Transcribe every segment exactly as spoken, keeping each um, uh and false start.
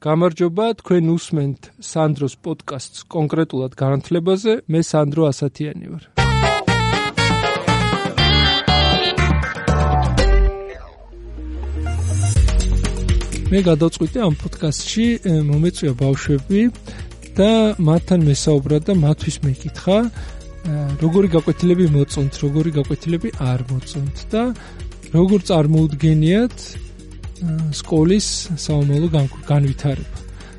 გამარჯობა, თქვენ უსმენთ სანდროს პოდკასტს კონკრეტულად განათლებაზე, მე სანდრო ასათიანი ვარ. მე გადავწყვიტე ამ პოდკასტში მომეწვია ბავშვები და მათთან მესაუბრა და მათთვის მეკითხა, როგორი გაკვეთილები მოწონთ, როგორი გაკვეთილები არ მოწონთ და როგორ წარმოუდგენიათ სკოლის საომალო განვითარება.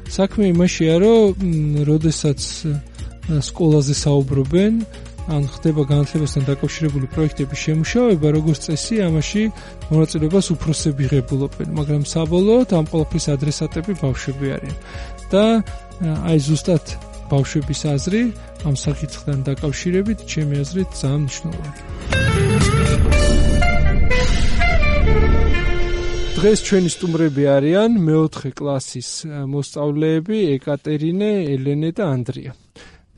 საქმე იმაშია, რომ როდესაც სკოლაზე საუბრობენ, ან ხდება განათლებასთან დაკავშირებული პროექტების შემუშავება, როგორც წესი, ამაში მონაწილეობას უფროსები ღებულობენ, მაგრამ საბოლოოდ ამ ყველაფრის ადრესატები ბავშვები არიან. და აი ზუსტად ბავშვების აზრი ამ საკითხთან დაკავშირებით, ჩემი აზრით, ძალიან მნიშვნელოვანია. დღეს ჩვენი სტუმრები არიან მეოთხე კლასის მოსწავლეები ეკატერინე, ელენე და ანდრია.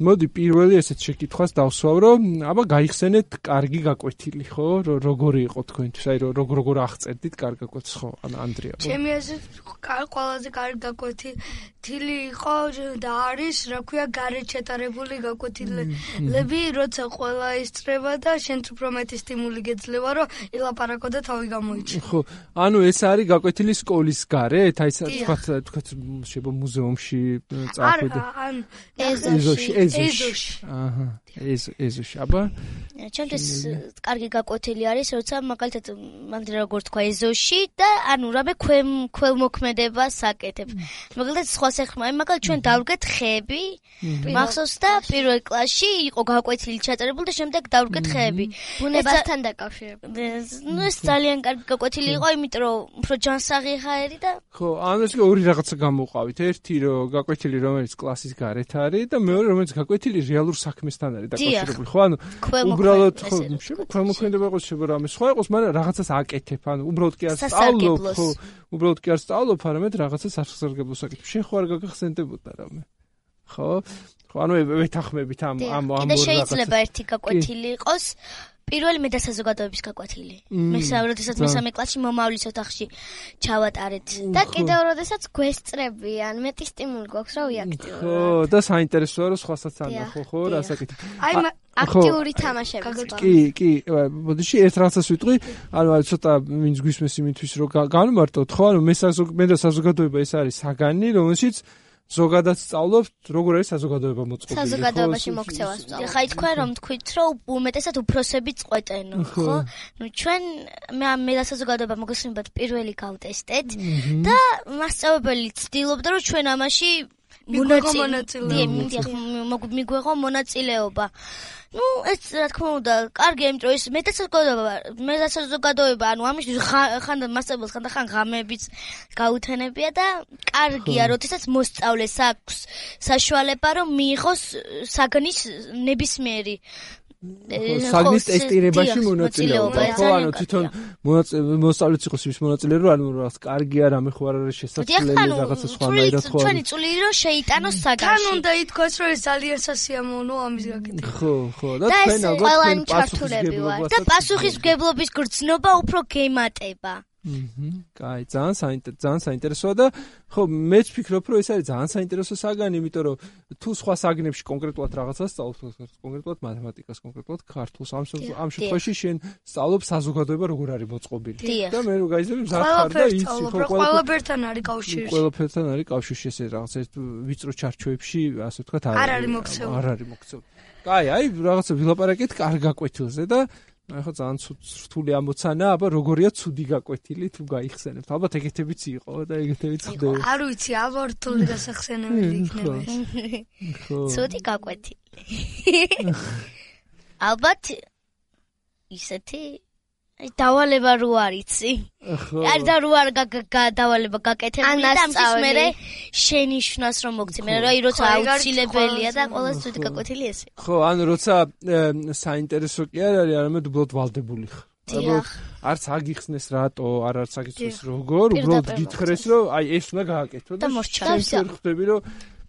მოდი პირველი ესეთ შეკითხვას დავსვავ, რომ აბა გაიხსენეთ კარგი გაკვეთილი, ხო? როგორი იყო თქვენთვის? აი როგორ როგორ აღწერდით კარგ გაკვეთილს, ხო? ან ანდრია. ჩემი აზრით ყველაზე კარგი გაკვეთილი იყო და არის, რა ქვია, გარეთ ჩატარებული გაკვეთილები, როცა ყველა ისწრება და შენც უფრო მეტი სტიმული გეძლევა, რომ ელაპარაკო და თავი გამოიჩინო. ხო, ანუ ეს არის გაკვეთილი სკოლის გარეთ, აი თქვა თქვა შეიძლება მუზეუმში წახვიდე. არა, ან ეზოში, ეზოში. აჰა, ეს ეზოში, აბა. ჩემთვის კარგი გაკვეთილი არის, როცა მაგალითად მანდ როგორ თქვა ეზოში და ანუ რამე ქველმოქმედებას აკეთებ. მაგალითად სხვა სეხმა, მაგალითად ჩვენ დავდგეთ ხეები, მახსოვს და პირველ კლასში იყო გაკვეთილი ჩაწერებული და შემდეგ დავდგეთ ხეები. ბუნებასთან დაკავშირებული. ნუ ეს ძალიან კარგი გაკვეთილი იყო, იმიტომ რომ უფრო ჯანსაღი ხაერი და ხო, ანუ ეს ორი რაღაცა გამოვყავით. ერთი რომ გაკვეთილი რომელიც კლასის გარეთ არის და მეორე რომელიც გაკვეთილი რეალურ საქმესთან არის დაკავშირებული. ხო, ანუ უბრალოდ ხო, ქველმოქმედება იყოს, შეიძლება რამე სხვა იყოს, მაგრამ რაღაცას აკეთებ, ანუ უბრალოდ კი არ სწავლობ, ხო, უბრალოდ კი არ სწავლობ, არამედ რაღაცას სასარგებლოს აკეთებ. შენ ხო არ გაგახსენდებოდა რამე? ხო? ხო, ანუ ვეთანხმებით ამ ამ ამ და შეიძლება ერთი გაკვეთილი იყოს. პირველი მე და საზოგადოების გაკვეთილი. მე საერთოდ მესამე კლასში მომავლის ოთახში ჩავატარეთ და კიდევ როდესაც გვესწრებიან, მეტი სტიმული გვაქვს რა ვიაქტიუროთ. ხო, და საინტერესოა რომ სხვასაც ანდა, ხო, ხო, რასაკეთებ. აი აქტიური თამაშები. კი, კი, მოდიში ერთ რაღაცას ვიტყვი, ანუ ცოტა ვინც გვისმენს იმისთვის რომ განვმარტოთ, ხო, ანუ მე მე და საზოგადოება ეს არის საგანი, რომელშიც ზოგადად სწავლობთ, როგორ არის საზოგადოება მოწყობილი. საზოგადოებაში მოქცევას სწავლობთ. ხა თქვენ რომ თქვით, რომ უმეტესად უფროსები წყვეტენ, ხო? ნუ ჩვენ მე მე და საზოგადოება მოგესმენთ პირველი გავტესტეთ და მასწავლებელი ცდილობდა რომ ჩვენ ამაში მონაწილეობა მიგვეღო მონაწილეობა. ნუ ეს რა თქმა უნდა, კარგი, იმიტომ რომ ეს მე და საზოგადოება, მე და საზოგადოება, ანუ ამის ხან მასწავლებელს ხან და ხან ღამეებიც გაუთენებია და კარგია, როდესაც მოსწავლეს აქვს საშუალება, რომ მიიღოს საგნის ნებისმიერი საგნის ტესტირებაში მონაწილეობა. ხო, ანუ თვითონ მოსწავლეც იყოს ის მონაწილე, რომ ანუ რა კარგია, რამე ხო არ არის შესაძლებელი რაღაცა სხვანაირად ხო. ჩვენი წული რომ შეიტანოს საგანში. თან უნდა ითქვას, რომ ეს ძალიან სასიამოვნო ამის გაკეთება. ხო, ხო, და თქვენ ალბათ ჩართულები ვარ და პასუხისმგებლობის გრძნობა უფრო გემატება. აჰა, კაი, ძალიან საინტერესო, ძალიან საინტერესოა და ხო, მეც ვფიქრობ, რომ ეს არის ძალიან საინტერესო საგანი, იმიტომ რომ თუ სხვა საგნებში კონკრეტულად რაღაცას სწავლობ, კონკრეტულად მათემატიკას, კონკრეტულად ქართულს, ამ ამ შემთხვევაში შენ სწავლობ საზოგადოება როგორ არის მოწყობილი. და მე რო გაიზრდები მზად ხარ და იცი, ხო, ყველაფერთან არის კავშირში. ყველაფერთან არის კავშირში ეს რაღაცა ვიწრო ჩარჩოებში, ასე ვთქვათ, არ არის მოქცეული. არ არის მოქცეული. კაი, აი, რაღაცა ვილაპარაკეთ კარგ გაკვეთილზე და აი ხო ძალიან რთული ამოცანა, აბა როგორია ცუდი გაკვეთილი თუ გაიხსენებთ. ალბათ ეგეთებიც იყო და ეგეთებიც ხდება. არ ვიცი, ალბათ რთული დასახსენებელი იქნება. ხო. ცუდი გაკვეთილი. ალბათ ისეთი აი დავალება რო არიცი. არ და რო არ დავალება გაკეთებული და ამის მერე შენიშვნას რომ მოგცი. მე რა როცა აუცილებელია და ყველა ცუდი გაკვეთილი ესე. ხო, ანუ როცა საინტერესო კი არ არის, არამედ უბრალოდ ვალდებული ხარ. დიახ. არც აგიხსნეს რატო, არ არც აგიხსნეს როგორ, უბრალოდ გითხრეს რომ აი ეს უნდა გააკეთო და მოსჩანს. ხდები რომ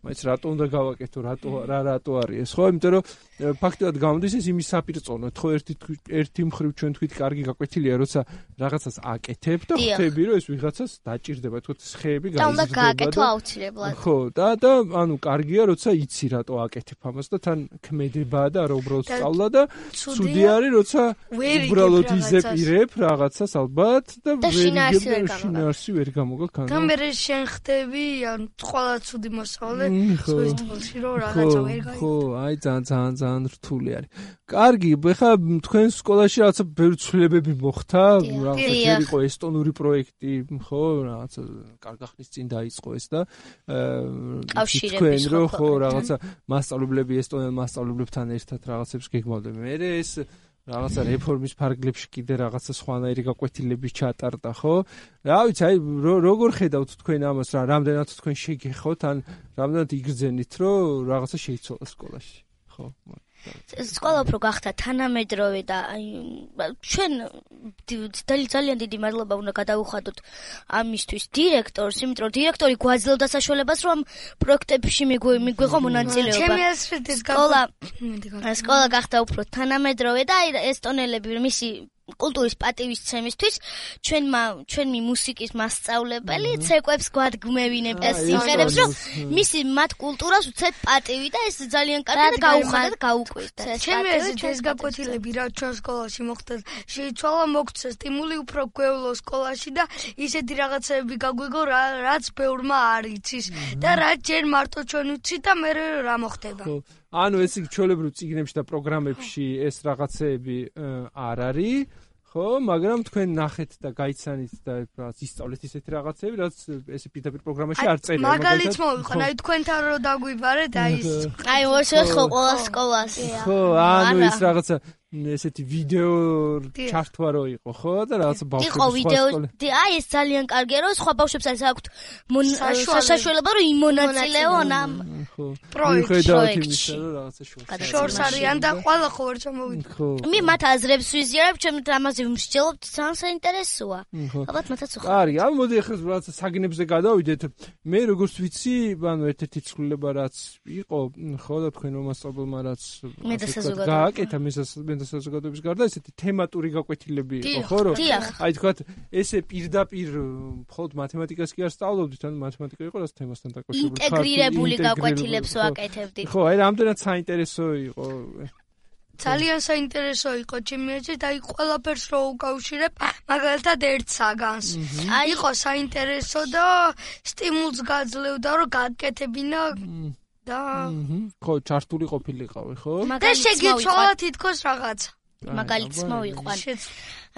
მაინც რატო უნდა გავაკეთო, რატო რა რატო არის ეს, ხო? იმიტომ რომ ფაქტობრივად გამოდის ეს იმის საპირწონოდ, ხო, ერთი ერთი მხრივ ჩვენ თქვით კარგი გაკვეთილია, როცა რაღაცას აკეთებ და ხვდები, რომ ეს ვიღაცას დაჭირდება, თქო, ხეები გაიზრდება და უნდა გააკეთო აუცილებლად. ხო, და და ანუ კარგია, როცა იცი რატო აკეთებ ამას და თან ქმედებაა და რა უბრალოდ სწავლა და ცუდი არის, როცა უბრალოდ იზეპირებ რაღაცას ალბათ და შინაარსი ვერ გამოგაქ. და მე შენ ხდები, ანუ ყველა ცუდი მოსწავლე სოისტოლში რომ რაღაცა ვერ გაიგო. ხო, აი ძალიან ძალიან ძალიან რთული არის. კარგი, ეხლა თქვენ სკოლაში რაღაცა ბევრი ცვლილებები მოხდა, რაღაცა იყო ესტონური პროექტი, ხო, რაღაცა კარგახნის წინ დაიწყო ეს და კავშირების რო ხო რაღაცა მასწავლებლები ესტონელ მასწავლებლებთან ერთად რაღაცებს გეგმავდნენ. მე ეს რაღაცა რეფორმის ფარგლებში კიდე რაღაცა სხვანაირი გაკვეთილების ჩატარდა, ხო? რა ვიცი, აი როგორ ხედავთ თქვენ ამას, რა რამდენად თქვენ შეგეხოთ, ან რამდენად იგრძენით, რომ რაღაცა შეიცვალა სკოლაში, ხო? სკოლა უფრო გახდა თანამედროვე და ჩვენ ძალიან დიდი მადლობა უნდა გადავუხადოთ ამისთვის დირექტორს, იმიტომ რომ დირექტორი გვაძლევდა საშუალებას, რომ ამ პროექტებში მიგვეღო მონაწილეობა. სკოლა სკოლა გახდა უფრო თანამედროვე და ესტონელები მისი კულტურის პატივისცემისთვის ჩვენმა ჩვენი მუსიკის მასწავლებელი ცეკვებს გვადგმევინებდა სიმღერებს, რომ მისი მათ კულტურას უცებ პატივი და ეს ძალიან კარგი და გაუხადა და გაუკვირდა. ჩემი აზრით ეს გაკვეთილები რა ჩვენ სკოლაში მოხდა შეიცვალა, მოგცა სტიმული უფრო გვევლო სკოლაში და ისეთი რაღაცები გაგვიგო რაც ბევრმა არ იცის და რაც ჯერ მარტო ჩვენ ვიცით და მე რა მოხდება. ანუ ეს ჩვეულებრივ წიგნებში და პროგრამებში ეს რაღაცეები არ არის, ხო, მაგრამ თქვენ ნახეთ და გაიცანით და რაღაც ისწავლეთ ისეთი რაღაცეები, რაც ესე პირდაპირ პროგრამაში არ წერია. მაგალითს მოვიყო, აი თქვენთან რო დაგვიბარეთ, აი ეს. აი ვაშოთ ხო ყველა სკოლას. ხო, ანუ ეს რაღაცა ესეთი ვიდეო ჩართვა რო იყო, ხო? და რაღაცა ბავშვებს იყო ვიდეო. აი ეს ძალიან კარგია, რომ სხვა ბავშვებს არის აქვთ საშუალება, რომ იმონაწილეონ ამ პროექტში. რაღაცა შორს. შორს არიან და ყველა ხო ვერ ჩამოვიდა. მე მათ აზრებს ვიზიარებ, ჩემ ამაზე ვმსჯელობ, ძალიან საინტერესოა. ალბათ მათაც უხარ. კარგი, ამ მოდი ახლა რაღაცა საგნებზე გადავიდეთ. მე როგორც ვიცი, ანუ ერთ-ერთი ცვლილება რაც იყო, ხო და თქვენ მომასწავლებელმა რაც გააკეთა მე საზოგადოების გარდა ესეთი თემატური გაკვეთილები იყო, ხო, რომ აი თქვათ ესე პირდაპირ მხოლოდ მათემატიკას კი არ სწავლობდით, ანუ მათემატიკა იყო რაც თემასთან დაკავშირებული. ინტეგრირებული გაკვეთილებს ვაკეთებდით. ხო, აი რამდენად საინტერესო იყო. ძალიან საინტერესო იყო ჩემი აზრით, აი ყველაფერს რო უკავშირებ, მაგალითად ერთ საგანს. იყო საინტერესო და სტიმულს გაძლევდა, რომ გაკეთებინა და ხო, ჩართული ყოფილიყავი, ხო? და შეგიცვალა თითქოს რაღაცა. მაგალითს მოვიყვან.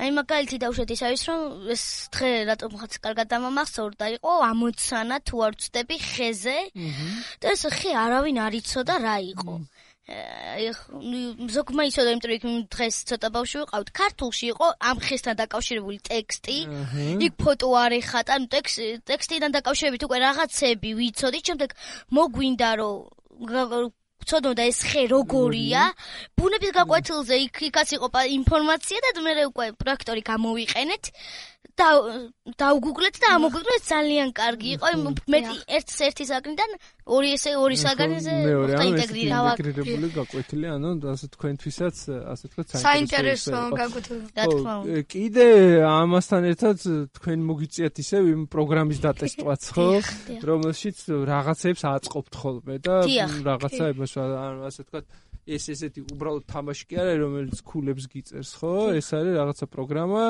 აი მაგალითი დავუშვათ ის არის, რომ ეს დღე რატომ ხაც კარგად დამამახსოვრდა, იყო ამოცანა თუ არ ვწდები ხეზე და ეს ხე არავინ არ იცოდა რა იყო. აი ზოგმა იცოდა, იმიტომ რომ დღეს ცოტა ბავშვი ვიყავთ, ქართულში იყო ამ ხესთან დაკავშირებული ტექსტი, იქ ფოტო არ ეხატა, ანუ ტექსტიდან დაკავშირებით უკვე რაღაცები ვიცოდით, შემდეგ მოგვინდა რომ ვცოდნო და ეს ხე როგორია, ბუნების გაკვეთილზე იქაც იყო ინფორმაცია და მე უკვე პროექტორი გამოვიყენეთ და დავგუგლეთ და ამოგვიგდო, ეს ძალიან კარგი იყო, მეტი ერთ ერთი საგნიდან ორი ესე ორი საგანზე ხდა ინტეგრირებული გაკვეთილი, ანუ ასე თქვენთვისაც ასე თქვა საინტერესო გაკვეთილი. რა თქმა უნდა. კიდე ამასთან ერთად თქვენ მოგიწიათ ისევ იმ პროგრამის დატესტვაც, ხო, რომელშიც რაღაცებს აწყობთ ხოლმე და რაღაცა იმას ასე თქვა ეს ესეთი უბრალოდ თამაში კი არა, რომელიც ქულებს გიწერს, ხო? ეს არის რაღაცა პროგრამა,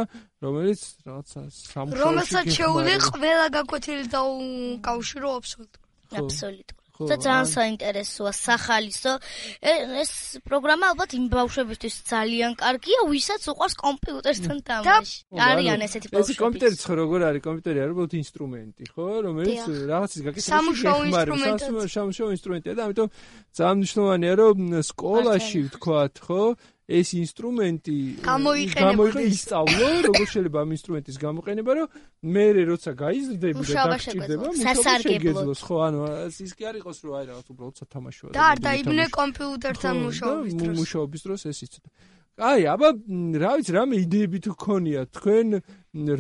რომელიც რაღაცა სამუშაოში რომელსაც შეუძლია ყველა გაკვეთილი დაუკავშირო აბსოლუტურად. აბსოლუტურად. და ძალიან საინტერესოა, სახალისო. ეს პროგრამა ალბათ იმ ბავშვებისთვის ძალიან კარგია, ვისაც უყვარს კომპიუტერთან თამაში. არიან ესეთი ბავშვები. ეს კომპიუტერიც ხო როგორ არის? კომპიუტერი არის უბრალოდ ინსტრუმენტი, ხო? რომელიც რაღაცის გაკეთებას სამუშაო ინსტრუმენტია. სამუშაო ინსტრუმენტია და ამიტომ ძალიან მნიშვნელოვანია, რომ სკოლაში ვთქვათ, ხო? ეს ინსტრუმენტი გამოიყენებოდა, ისწავლო, როგორ შეიძლება ამ ინსტრუმენტის გამოყენება, რომ მე როცა გაიზრდები და დაგჭირდება, მოსაგებლოს, ხო, ანუ ის კი არ იყოს, რომ აი რაღაც უბრალოდ სათამაშოა. და არ დაიბნე კომპიუტერთან მუშაობის დროს. მუშაობის დროს ეს იცოდა. აი, აბა, რა ვიცი, რამე იდეები თუ გქონიათ, თქვენ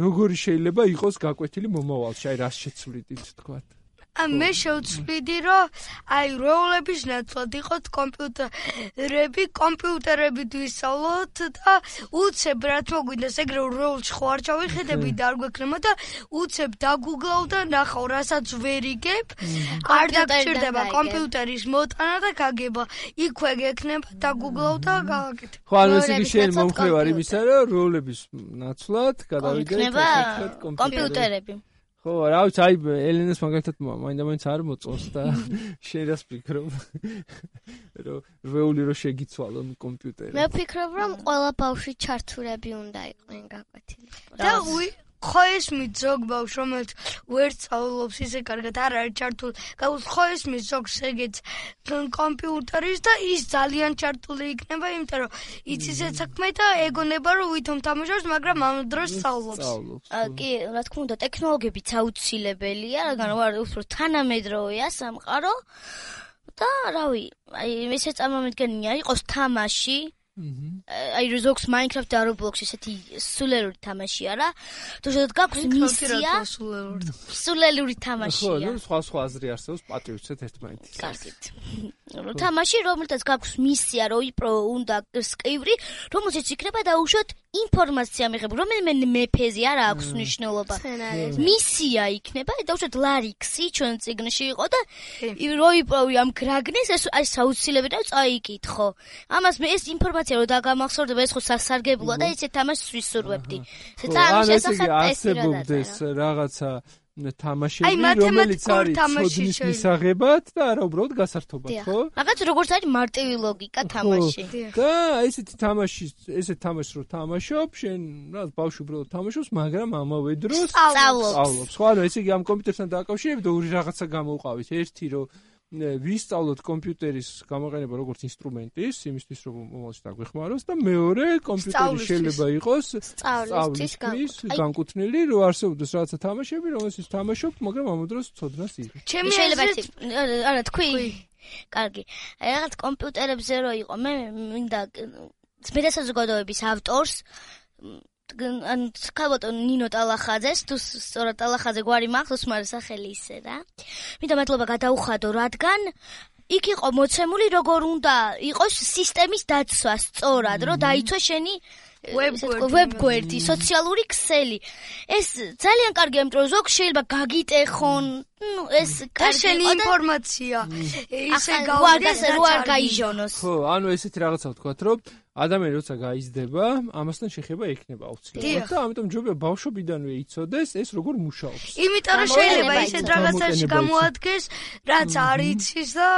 როგორი შეიძლება იყოს გაკვეთილი მომავალში, აი რას შეცვლიდით, თქვათ. მე შევცვლიდი რომ აი როლების ნაცვლად იყოთ კომპიუტერები, კომპიუტერებით ვისწავლოთ და უცებ რაც მოგვინდეს ეგრე როლში ხო არ ჩავიხედები და არ გვექნება და უცებ დაგუგლავ და ნახავ რასაც ვერ იგებ, არ დაგჭირდება კომპიუტერის მოტანა და გაგება. იქვე გექნება დაგუგლავ და გააკეთებ. ხო, ანუ ეს იგი შენ მომხრევარ იმისა, რომ როლების ნაცვლად გადავიდეთ კომპიუტერები. ხო, რა ვიცი, აი ელენას მაგალითად მაინდა-მაინც არ მოწონს და შენ რას ფიქრობ? რომ რეული რო შეგიცვალონ კომპიუტერი. მე ვფიქრობ, რომ ყველა ბავშვი ჩართულები უნდა იყვნენ გაკვეთილი. და უი ხო ესმის ზოგ ბავშვს, რომელიც ვერ სწავლობს ისე კარგად არ არის ჩართული, გაუს ხო ესმის ზოგს ეგეც კომპიუტერის და ის ძალიან ჩართული იქნება, იმიტომ რომ იცის ეს საქმე და ეგონება რომ ვითომ თამაშობს, მაგრამ ამ დროს სწავლობს. კი, რა თქმა უნდა, ტექნოლოგიებიც აუცილებელია, რადგან ვარ უფრო თანამედროვეა სამყარო და რავი, აი ესე წარმომიდგენია იყოს თამაში აი ზოგს Minecraft და Roblox ესეთი სულელური თამაშია რა. თუ შედოთ გაქვს მისია სულელური თამაშია. ხო, ნუ სხვა სხვა აზრი არსებობს, პატივცეთ ერთმანეთის. კარგით. თამაში რომელთაც გაქვს მისია, რომ იპრო უნდა სკივრი, რომელშიც იქნება დაუშვათ ინფორმაცია მიღებული, რომელიმე მეფეზე არ აქვს მნიშვნელობა. მისია იქნება, დაუშვათ ლარიქსი ჩვენ წიგნში იყო და რო იპოვი ამ გრაგნეს ეს აი საუცილებელია წაიკითხო. ამას მე ეს ინფორმაცია რო დაგამახსოვრდება ეს ხო სასარგებლოა და იცით თამაშს ვისურვებდი. ანუ შესახებ არსებობდეს რაღაცა თამაშები, რომელიც არის ცოდნის მისაღებად და არა უბრალოდ გასართობად, ხო? რაღაც როგორც არის მარტივი ლოგიკა თამაში. და ესეთი თამაში, ესეთ თამაშს რო თამაშობ, შენ რაღაც ბავშვი უბრალოდ თამაშობს, მაგრამ ამავე დროს სწავლობს. ხო, ანუ ესე იგი ამ კომპიუტერთან დააკავშირებით ორი რაღაცა გამოვყავით. ერთი რომ ვისწავლოთ კომპიუტერის გამოყენება როგორც ინსტრუმენტის, იმისთვის რომ მომავალში დაგვეხმაროს და მეორე კომპიუტერი შეიძლება იყოს სწავლისთვის განკუთვნილი, რომ არსებობდეს რაღაცა თამაშები, რომელსაც თამაშობთ, მაგრამ ამ დროს ცოდნას იღებ. ჩემი შეიძლება არა თქვი. კარგი. აი რაღაც კომპიუტერებზე რო იყო, მე მინდა მეტასაზოგადოების ავტორს ან ხავატო ნინო ტალახაძეს, თუ სწორად ტალახაძე გვარი მახსოვს, მაგრამ სახელი ისე რა. მინდა მადლობა გადაუხადო, რადგან იქ იყო მოცემული როგორ უნდა იყოს სისტემის დაცვა სწორად, რომ დაიცვა შენი ვებგვერდი, სოციალური ქსელი. ეს ძალიან კარგია, იმიტომ რომ ზოგ შეიძლება გაგიტეხონ, ნუ ეს კარგი ინფორმაცია. ისე გავაგას რო არ გაიჟონოს. ხო, ანუ ესეთი რაღაცა ვთქვათ, რომ ადამიანი როცა გაიზრდება, ამასთან შეხება ექნება აუცილებლად და ამიტომ ჯობია ბავშვობიდანვე იცოდეს ეს როგორ მუშაობს. იმიტომ რომ შეიძლება ისეთ რაღაცაში გამოადგეს, რაც არ იცის და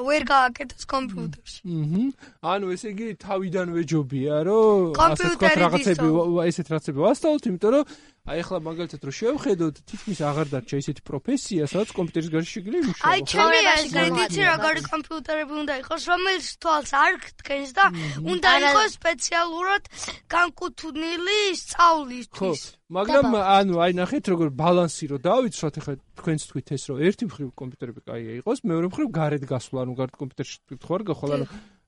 ვერ გააკეთოს კომპიუტერში. აჰა. ანუ ესე იგი თავიდანვე ჯობია, რომ ასე ვთქვათ რაღაცები ესეთ რაღაცები ვასწავლოთ, იმიტომ რომ აი ახლა მაგალითად რომ შევხედოთ, თითქმის აღარ დარჩა ისეთი პროფესია, სადაც კომპიუტერის გარშე შეგიძლია იმუშაო. აი ჩემი აზრით როგორი კომპიუტერები უნდა იყოს, რომელიც თვალს არ გტკენს და უნდა იყოს სპეციალურად განკუთვნილი სწავლისთვის. მაგრამ ანუ აი ნახეთ როგორ ბალანსი რო დავიცვათ, ახლა თქვენც თქვით ეს რომ ერთი მხრივ კომპიუტერები კაია იყოს, მეორე მხრივ გარეთ გასვლა, ანუ გარეთ კომპიუტერში თქვა რა გახვალ, ანუ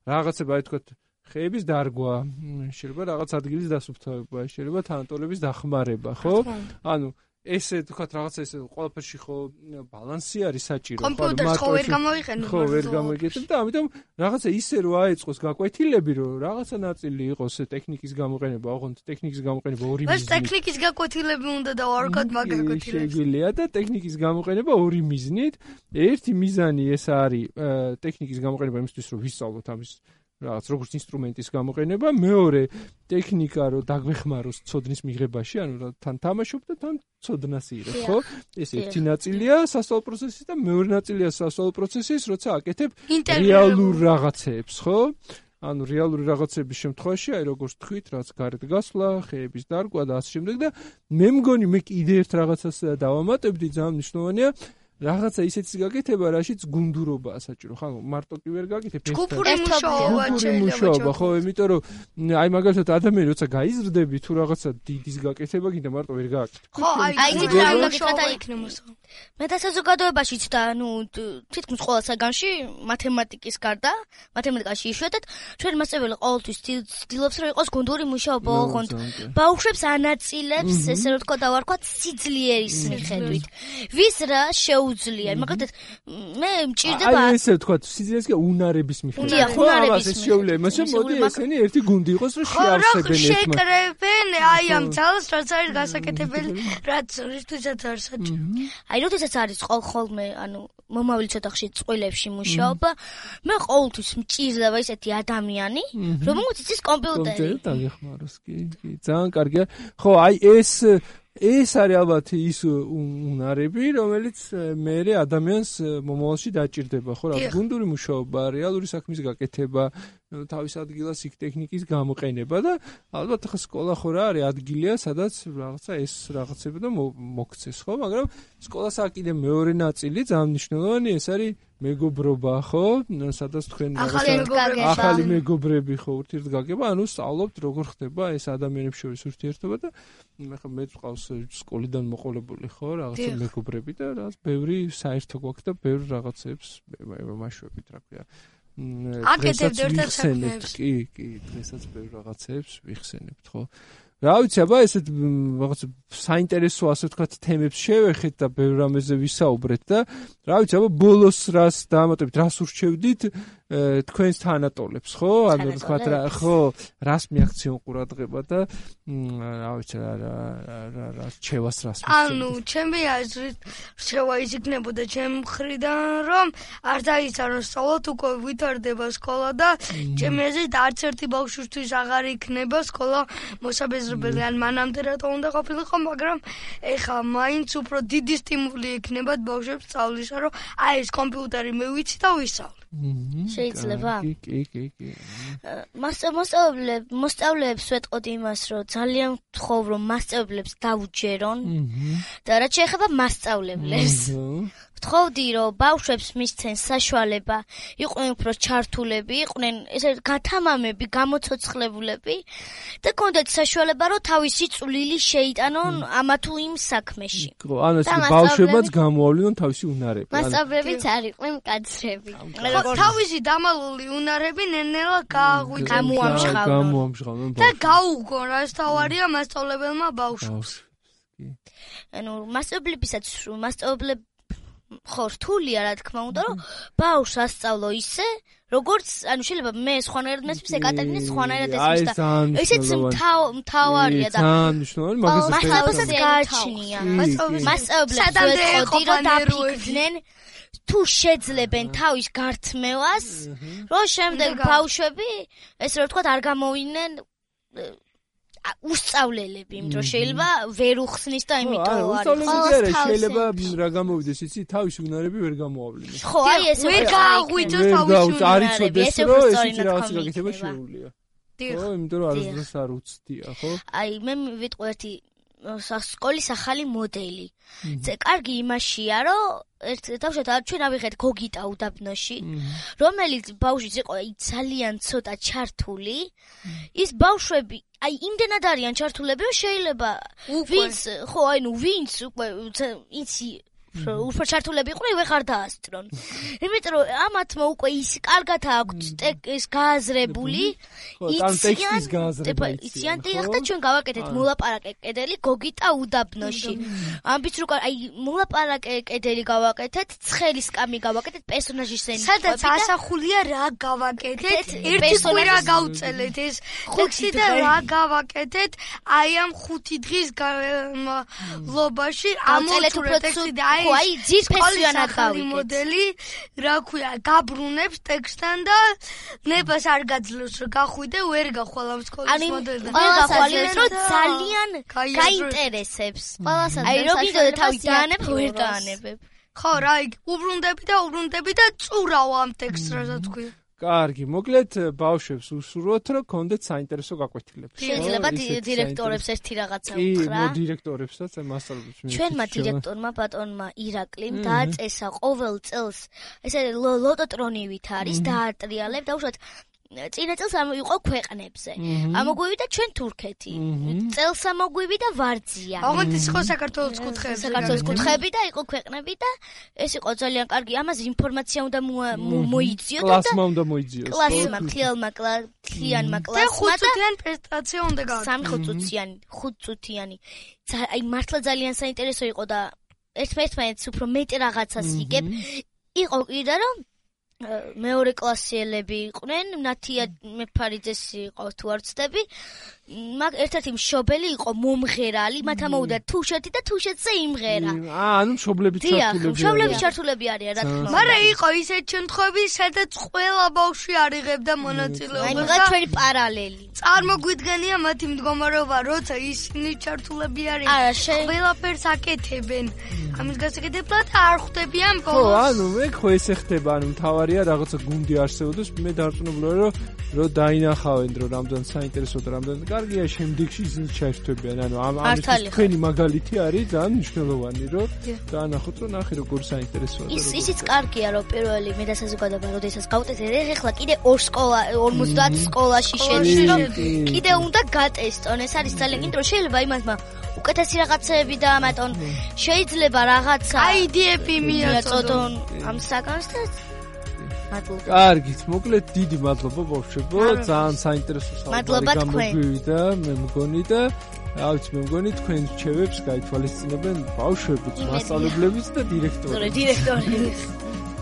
რაღაცები აი თქვათ ხეების დარგვა, შეიძლება რაღაც ადგილის დასუფთავება, შეიძლება თანატოლების დახმარება, ხო? ანუ ესე თქვათ რაღაცა ესე ყველაფერში ხო ბალანსი არის საჭირო, ხო? კომპიუტერს ხო ვერ გამოიყენებ. ხო, ვერ გამოიგეთებ და ამიტომ რაღაცა ისე რო აეწყოს გაკვეთილები, რომ რაღაცა ნაწილი იყოს ტექნიკის გამოყენება, ოღონდ ტექნიკის გამოყენება ორი მიზნით. ეს ტექნიკის გაკვეთილები უნდა დავარქოთ მაგაკვეთილებს. შეგვიძლია და ტექნიკის გამოყენება ორი მიზნით. ერთი მიზანი ეს არის ტექნიკის გამოყენება იმისთვის, რომ ვისწავლოთ ამის რაღაც როგორც ინსტრუმენტის გამოყენება, მეორე ტექნიკა რო დაგვეხმაროს ცოდნის მიღებაში, ანუ თან თამაშობ და თან ცოდნას იღებ, ხო? ეს ერთი ნაწილია სასწავლო პროცესის და მეორე ნაწილია სასწავლო პროცესის, როცა აკეთებ რეალურ რაღაცებს, ხო? ანუ რეალური რაღაცების შემთხვევაში, აი როგორც თქვით, რაც გარეთ გასვლა, ხეების დარგვა და ასე შემდეგ და მე მგონი მე კიდე ერთ რაღაცას დავამატებდი, ძალიან მნიშვნელოვანია რაღაცა ისეთის გაკეთება, რაშიც გუნდურობაა საჭირო. ხა მარტო კი ვერ გაკეთებ ეს. ჯგუფური მუშაობა შეიძლება, ხო, იმიტომ რომ აი მაგალითად ადამიანი როცა გაიზრდები თუ რაღაცა დიდის გაკეთება გინდა მარტო ვერ გააკეთებ. ხო, აი აი ეს რა უნდა გაკეთება იქნებოს. მეტასაზოგადოებაშიც და ნუ თითქმის ყველა საგანში მათემატიკის გარდა, მათემატიკაში იშვიათად ჩვენ მასწავლებელი ყოველთვის ცდილობს რომ იყოს გუნდური მუშაობა, ოღონდ ბავშვებს ანაწილებს, ესე რომ თქვა დავარქვათ, სიძლიერის მიხედვით. ვის რა შეუ შეუძლია. მაგალითად მე მჭირდება აი ესე ვთქვა, სიძინეს კი უნარების მიხედვით. ხო, უნარების შეუძლია, მაგრამ მოდი ესენი ერთი გუნდი იყოს, რომ შეავსებენ ერთმანეთს. შეკრებენ აი ამ ძალას, რაც არის გასაკეთებელი, რაც რითვისაც არ საჭირო. აი როდესაც არის ხოლმე, ანუ მომავალი ცოტა ხშირ წყვილებში მუშაობა, მე ყოველთვის მჭირდება ისეთი ადამიანი, რომელიც იცის კომპიუტერი. კომპიუტერი დაგეხმაროს, კი, კი, ძალიან კარგია. ხო, აი ეს ეს არის ალბათ ის უნარები, რომელიც მე ადამიანს მომავალში დაჭირდება, ხო, რა გუნდური მუშაობა, რეალური საქმის გაკეთება, თავის ადგილას იქ ტექნიკის გამოყენება და ალბათ ახლა სკოლა ხო რა არის ადგილია, სადაც რაღაცა ეს რაღაცები და მოგცეს, ხო, მაგრამ სკოლას აქვს კიდე მეორე ნაწილი, ძალიან მნიშვნელოვანი, ეს არის მეგობრობა, ხო, სადაც თქვენ ახალი მეგობრები ხო ურთიერთგაგება, ანუ სწავლობთ როგორ ხდება ეს ადამიანებს შორის ურთიერთობა და ახლა მე ვყავს სკოლიდან მოყოლებული, ხო, რაღაცა მეგობრები და რაღაც ბევრი საერთო გვაქვს და ბევრი რაღაცებს მაშუებით, რა ქვია. აკეთებთ ერთად საქმეებს. კი, კი, დღესაც ბევრ რაღაცებს ვიხსენებთ, ხო? რა ვიცი, აბა ესეთ რაღაც საინტერესო ასე ვთქვათ თემებს შევეხეთ და ბევრ რამეზე ვისაუბრეთ და რა ვიცი, აბა ბოლოს რას დაამატებით, რას ურჩევდით თქვენს თანატოლებს, ხო? ანუ ვთქვათ რა, ხო, რას მიაქციონ ყურადღება და რა ვიცი, რა რა რა რჩევას რას მისცემთ. ანუ ჩემი აზრით რჩევა ის იქნებოდა ჩემ მხრიდან, რომ არ დაიცაროს სწავლოთ, უკვე ვითარდება სკოლა და ჩემი აზრით არც ერთი ბავშვისთვის აღარ იქნება სკოლა მოსაბეზრებელი, ან მანამდე რატო უნდა ყოფილიყო, მაგრამ ეხლა მაინც უფრო დიდი სტიმული იქნებათ ბავშვებს სწავლისა, რომ აი ეს კომპიუტერი მე ვიცი და ვისწავლე. შეიძლება? კი, კი, კი, კი. მასწავლებლებს, მოსწავლეებს ვეტყოდი იმას, რომ ძალიან ვთხოვ, რომ მასწავლებლებს დაუჯერონ და რაც შეეხება მასწავლებლებს. ვთხოვდი, რომ ბავშვებს მისცენ საშუალება, იყვნენ უფრო ჩართულები, იყვნენ ესე გათამამები, გამოცოცხლებულები და კონდეთ საშუალება, რომ თავისი წვლილი შეიტანონ ამა თუ იმ საქმეში. ხო, ანუ ეს ბავშვებმაც გამოავლინონ თავისი უნარები. მასწავლებლებიც არ იყვნენ მკაცრები. თავისი დამალული უნარები ნელ-ნელა გამოამჟღავნონ. გამოამჟღავნონ. და გაუგონ, რაც თავარია მასწავლებელმა ბავშვს. ანუ მასწავლებლებისაც მასწავლებლები ხო რთულია რა თქმა უნდა, რომ ბავშვს ასწავლო ისე, როგორც, ანუ შეიძლება მე სხვანაირად მესმის, ეკატერინე სხვანაირად ესმის და ესეც მთავარია და ძალიან მნიშვნელოვანი, მაგას მასწავლებელსაც გააჩნია. მასწავლებლებს ვეტყოდი, რომ დაფიქრდნენ თუ შეძლებენ თავის გართმევას, რომ შემდეგ ბავშვები, ესე რომ ვთქვათ, არ გამოვიდნენ უსწავლელები, იმიტომ რომ შეიძლება ვერ უხსნის და იმიტომ არის. არა, შეიძლება რა გამოვიდეს, იცი, თავის უნარები ვერ გამოავლინოს. ხო, აი ეს ვერ გააღვიძოს თავის უნარები. არ იცოდეს, რომ ესეთი რაღაც გაკეთება შეუძლია. ხო, იმიტომ რომ არასდროს არ უცდია, ხო? აი, მე ვიტყვი ერთი სკოლის ახალი მოდელი. ზე კარგი იმაშია, რომ ერთ თავშეთა ჩვენ ავიღეთ გოგიტა უდაბნოში, რომელიც ბავშვიც იყო ძალიან ცოტა ჩართული. ის ბავშვები აი იმდენად არიან ჩართულები, რომ შეიძლება ვინც ხო, აი ნუ ვინც უკვე იცი უფრო ჩართულები იყვნენ, ვეღარ დაასწრონ. იმიტომ რომ ამათმა უკვე ის კარგად აქვს ეს გააზრებული, იციან და ახლა ჩვენ გავაკეთეთ მოლაპარაკე კედელი გოგიტა უდაბნოში. ამბიც რო აი მოლაპარაკე კედელი გავაკეთეთ, ცხელი სკამი გავაკეთეთ, პერსონაჟის სცენი. სადაც ასახულია რა გავაკეთეთ, ერთი კვირა გავწელეთ ეს ხუთი და რა გავაკეთეთ, აი ამ ხუთი დღის განმავლობაში ამოწურეთ ტექსტი და ხო, აი ძირფესიანად გავიგეთ. მოდელი, რა ქვია, გაბრუნებს ტექსტთან და ნებას არ გაძლევს, რომ გახვიდე, ვერ გახვალ ამ სკოლის მოდელთან. ანუ გახვალინეს, რომ ძალიან გაინტერესებს. აი რო კიდე თავი დაანებ, ვერ დაანებებ. ხო, რა, უბრუნდები და უბრუნდები და წურავ ამ ტექსტს, რასაც ქვია. კარგი, მოკლედ ბავშვებს უსურვოთ, რომ კონდეთ საინტერესო გაკვეთილები. შეიძლება დირექტორებს ერთი რაღაცა უთხრა. კი, დირექტორებსაც, მასწავლებლებს. ჩვენმა დირექტორმა ბატონმა ირაკლიმ დააწესა ყოველ წელს ესე ლოტოტრონივით არის დაატრიალებ და უშუალოდ წინა წელს იყო ქვეყნებზე. ამოგვივიდა ჩვენ თურქეთი. წელს ამოგვივიდა და ვარძია. აღონდ ის იყო საქართველოს კუთხეები. საქართველოს კუთხეები და იყო ქვეყნები და ეს იყო ძალიან კარგი. ამაზე ინფორმაცია უნდა მოიძიოთ და კლასმა უნდა მოიძიოს. კლასმა, თლიანმა თლიანმა კლასმა და ხუთწუთიანი პრეზენტაცია უნდა გააკეთოს. სამი ხუთწუთიანი, ხუთწუთიანი. აი მართლა ძალიან საინტერესო იყო და ერთმანეთს უფრო მეტ რაღაცას იგებ. იყო კიდე რომ მეორე კლასიელები იყვნენ, ნათია მეფარიძეს იყო თუ არ ვცდები. მაგ ერთ-ერთი მშობელი იყო მომღერალი, მათ ამოუდა თუშეთი და თუშეთზე იმღერა. აა, ანუ მშობლები ჩართულები. მშობლები ჩართულები არიან, რა თქმა უნდა. მაგრამ იყო ისეთ შემთხვევები, სადაც ყველა ბავშვი არ იღებდა მონაწილეობას. აი, მაგა ჩვენი პარალელი. წარმოგვიდგენია მათი მდგომარეობა, როცა ისინი ჩართულები არიან. ყველაფერს აკეთებენ. ამის გასაკეთებლად არ ხვდებიან ბოლოს. ხო, ანუ მე ხო ესე ხდება, ანუ მთავარია რაღაცა გუნდი არსებობდეს, მე დარწმუნებული ვარ, რომ რომ დაინახავენ, რომ რამდენ საინტერესო და რამდენ კარგია შემდეგში ისინი ჩაერთვებიან. ანუ ამის თქვენი მაგალითი არის ძალიან მნიშვნელოვანი, რომ დაანახოთ, რომ ნახე როგორ საინტერესოა. ის ისიც კარგია, რომ პირველი მე და საზოგადოება როდესაც გავუტესეთ, ეხლა კიდე ორ სკოლა ორმოცდაათ სკოლაში შედის, რომ კიდე უნდა გატესტონ. ეს არის ძალიან კიდე რომ შეიძლება იმათმა უკეთესი რაღაცეები დაამატონ, შეიძლება რაღაცა აიდიები მიაწოდონ ამ საგანს და მადლობა. კარგით, მოკლედ დიდი მადლობა ბავშვებო, ძალიან საინტერესო საუბარი გამოგვივიდა, მე მგონი და რა ვიცი, მე მგონი თქვენ რჩევებს გაითვალისწინებენ ბავშვებიც, მასწავლებლებიც და დირექტორებიც. დირექტორებიც.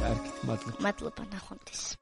კარგით, მადლობა. მადლობა, ნახვამდის.